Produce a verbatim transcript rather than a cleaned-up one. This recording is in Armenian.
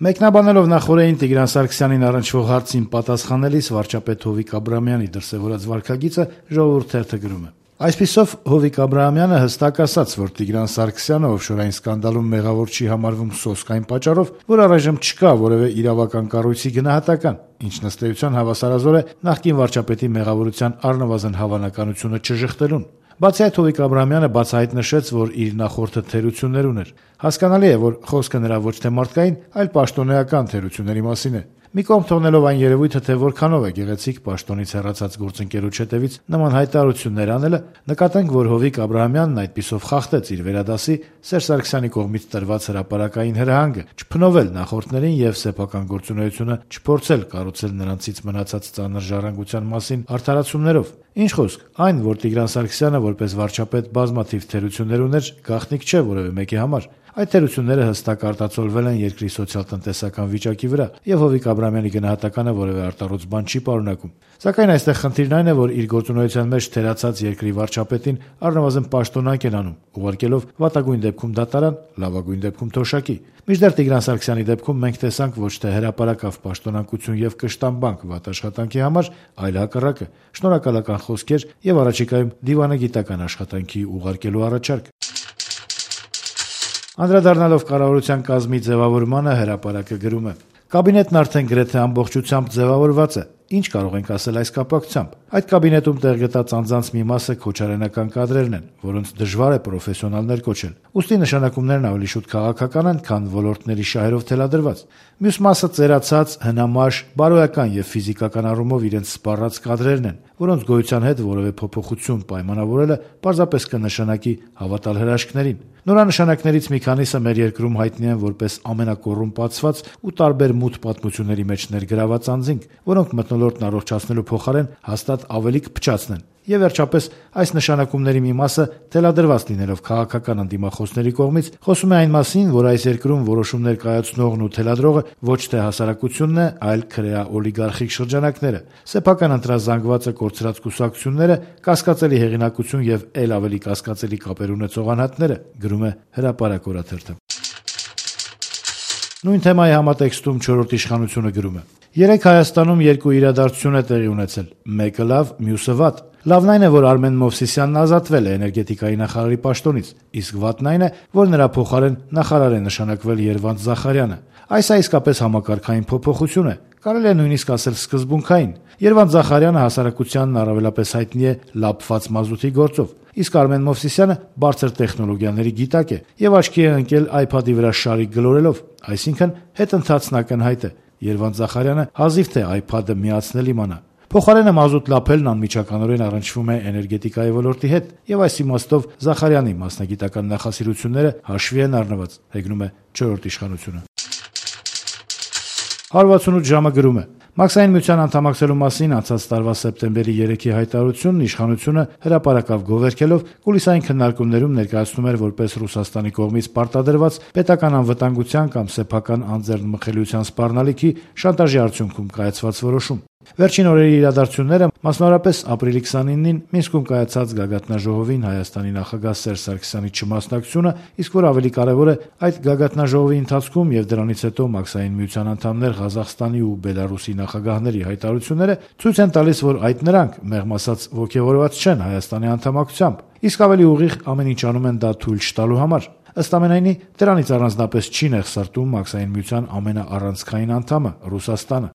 Մեկնաբանելով նախօրեին Տիգրան Սարգսյանին առնչվող հարցին պատասխանելիս վարչապետ Հովիկ Աբրահամյանի դրսևորած վարքագիծը Ժողովուրդ թերթը գրում է. Այսպիսով Հովիկ Աբրահամյանը հստակ ասաց, որ Տիգրան Սարգսյանը օֆշորային սկանդալում մեղավոր չի համարվում սոսկ այն պատճառով, որ առայժմ չկա որևէ իրավական կառույցի գնահատական, ինչ ըստ էության հավասարազոր է նախկին վարչապետի մեղավորության առնվազն հավանականությունը չժխտելուն։ Բացի այդ, Հովիկ Աբրահամյանը բացահայտ նշեց, որ իր նախորդը թերություններ ուներ։ Հասկանալի է, որ խոսքը նրա ոչ թե մարդկային, այլ պաշտոնեական թերությունների մասին է։ Մի կողմ թողնելով այն երևույթը, թե որքանով է գեղեցիկ պաշտոնից հեռացած գործընկերոջ հետևից նման հայտարարություններ անելը, նկատենք, որ Հովիկ Աբրահամյանն այդպիսով խախտեց իր վերադասի Սերժ Սարգսյանի կողմից տրված հրապարակային հրահանգը, չփնովել նախորդներին եւ սեփական գործունեությունը չփորձել կառուցել նրանցից մնացած ծանր ժառանգության մասին արդարացումներով։ Ինչ խոսք, այն, որ Տիգրան Սարգսյանը որպես վարչապետ բազմաթիվ թերություններ ուներ, գաղտնիք չէ որևէ մեկի համար։ Այդ թերությունները հստակ արտացոլվել են երկրի սոցիալ-տնտեսական վիճակի վրա, եւ Հովիկ Աբրահամյանի գնահատականը որևէ արտառոց բան չի պարունակում։ Սակայն այստեղ խնդիրն այն է, որ իր գործունեության մեջ թերացած երկրի վարչապետին առնվազն պաշտոնանկ են անում, ուղարկելով վատագույն դեպքում դատարան, լավագույն դեպքում թոշակի։ Մինչդեռ Տիգրան Սարգսյանի դեպքում մենք տեսանք ոչ թե հրապարակավ պաշտոնանկություն եւ կշտամբանք վատ աշխատանքի համար, այլ հակառակը՝ շնորհակալական խոսքեր եւ առաջիկայում դիվանագիտական աշխատանքի ուղարկելու առաջարկ։ Անդրադառնալով կառավարության կազմի ձևավորմանը, Հրապարակը գրում է. Կաբինետն արդեն գրեթե ամբողջությամբ ձևավորված է։ Ինչ կարող ենք ասել այս կապակցությամբ։ Այդ կաբինետում տեղ գտած անձանց մի մասը քոչարենական կադրերն են, որոնց դժվար է պրոֆեսիոնալներ կոչել։ Ուստի նշանակումներն ավելի շուտ քաղաքական են, քան ոլորտների շահերով թելադրված։ Մյուս մասը ծերացած, հնամաշ, բարոյական եւ ֆիզիկական առումով իրենց սպառած կադրերն են, որոնց գոյության հետ որևէ փոփոխություն պայմանավորելը պարզապես կնշանակի հավատալ հրաշքներին։ Նորանշանակներից մի քանիսը մեր երկրում հայտնի են որպես ամենակոռումպացված ու տարբեր մութ պատմությունների մեջ ներգրաված անձինք, որոնք մթնոլորտն առողջացնելու փոխարեն հաստատ ավելի կփչացնեն։ Եվ վերջապես այս նշանակումների մի մասը թելադրված լինելով քաղաքական ընդդիմախոսների կողմից խոսում է այն մասին, որ այս երկրում որոշումներ կայացնողն ու թելադրողը ոչ թե հասարակությունն է, այլ քրեա օլիգարխիկ շրջանակները, սեփական ընտրազանգվածը կորցրած կուսակցությունները, կասկածելի հեղինակություն եւ ել ավելի կասկածելի կապեր ունեցող անհատները, գրում է Հրապարակ օրաթերթը։ Նույն թեմայի համատեքստում Չորրորդ իշխանությունը գրում է. Երեկ Հայաստանում երկու իրադարձություն է տեղի ունեցել, մեկը լավ, մյուսը վատ։ Լավն այն է, որ Արմեն Մովսիսյանն ազատվել է էներգետիկայի նախարարի պաշտոնից, իսկ վատն այն է, որ նրա փոխարեն նախարար է նշանակվել Երվանդ Զախարյանը։ Այս է իսկապես համակարգային փոփոխություն է, կարելի է նույնիսկ ասել սկզբունքային։ Երվանդ Զախարյանը հասարակությանն առավելապես հայտնի է լափված մազութի գործով, իսկ Արմեն Մովսիսյանը բարձր տեխնոլոգիաների գիտակ է եւ աչքի է ընկել iPad-ի վրա շարիկ գլորելով, այսինքն հետընթացն ակնհայտ է։ Երվանդ Զախարյանը հազիվ թե iPad-ը միացնել իմանա։ Փոխարենը մազութ լափելն անմիջականորեն առնչվում է էներգետիկայի ոլորտի հետ եւ այս իմաստով Զախարյանի մասնագիտական նախասիրությունները հաշվի են առնված, հեգնում է Չորրորդ իշխանությունը։ հարվածունութ ժամը գրում է. Մաքսային միության անդամակցելու մասին անցած տարվա սեպտեմբերի երեքի հայտարարությունն իշխանությունը հրապարակավ գովերքելով կուլիսային քննարկումներում ներկայացնում էր որպես Ռուսաստանի կողմից պարտադրված պետական անվտանգության կամ սեփական անձեռնմխելիության սպառնալիքի շանտաժի արդյունքում կայացված որոշում։ Վերջին օրերի իրադարձությունները, մասնավորապես ապրիլի քսանինին Մինսկում կայացած գագաթնաժողովին Հայաստանի նախագահ Սերժ Սարգսյանի չմասնակցությունը, իսկ որ ավելի կարևոր է, այդ գագաթնաժողովի ընթացքում եւ դրանից հետո Մաքսային միության անդամներ Ղազախստանի ու Բելարուսի նախագահների հայտարարությունները ցույց են տալիս, որ այդ նրանք մեղմ ասած ոգևորված չեն Հայաստանի անդամակցությամբ, իսկ ավելի ուղիղ ամեն ինչ անում են դա թույլ չտալու համար։ Ըստ ամենայնի, դրանից առանձնապես չի նեղսարտում Մաքսային միության ամենաառանցքային անդամը՝ Ռուսաստանը։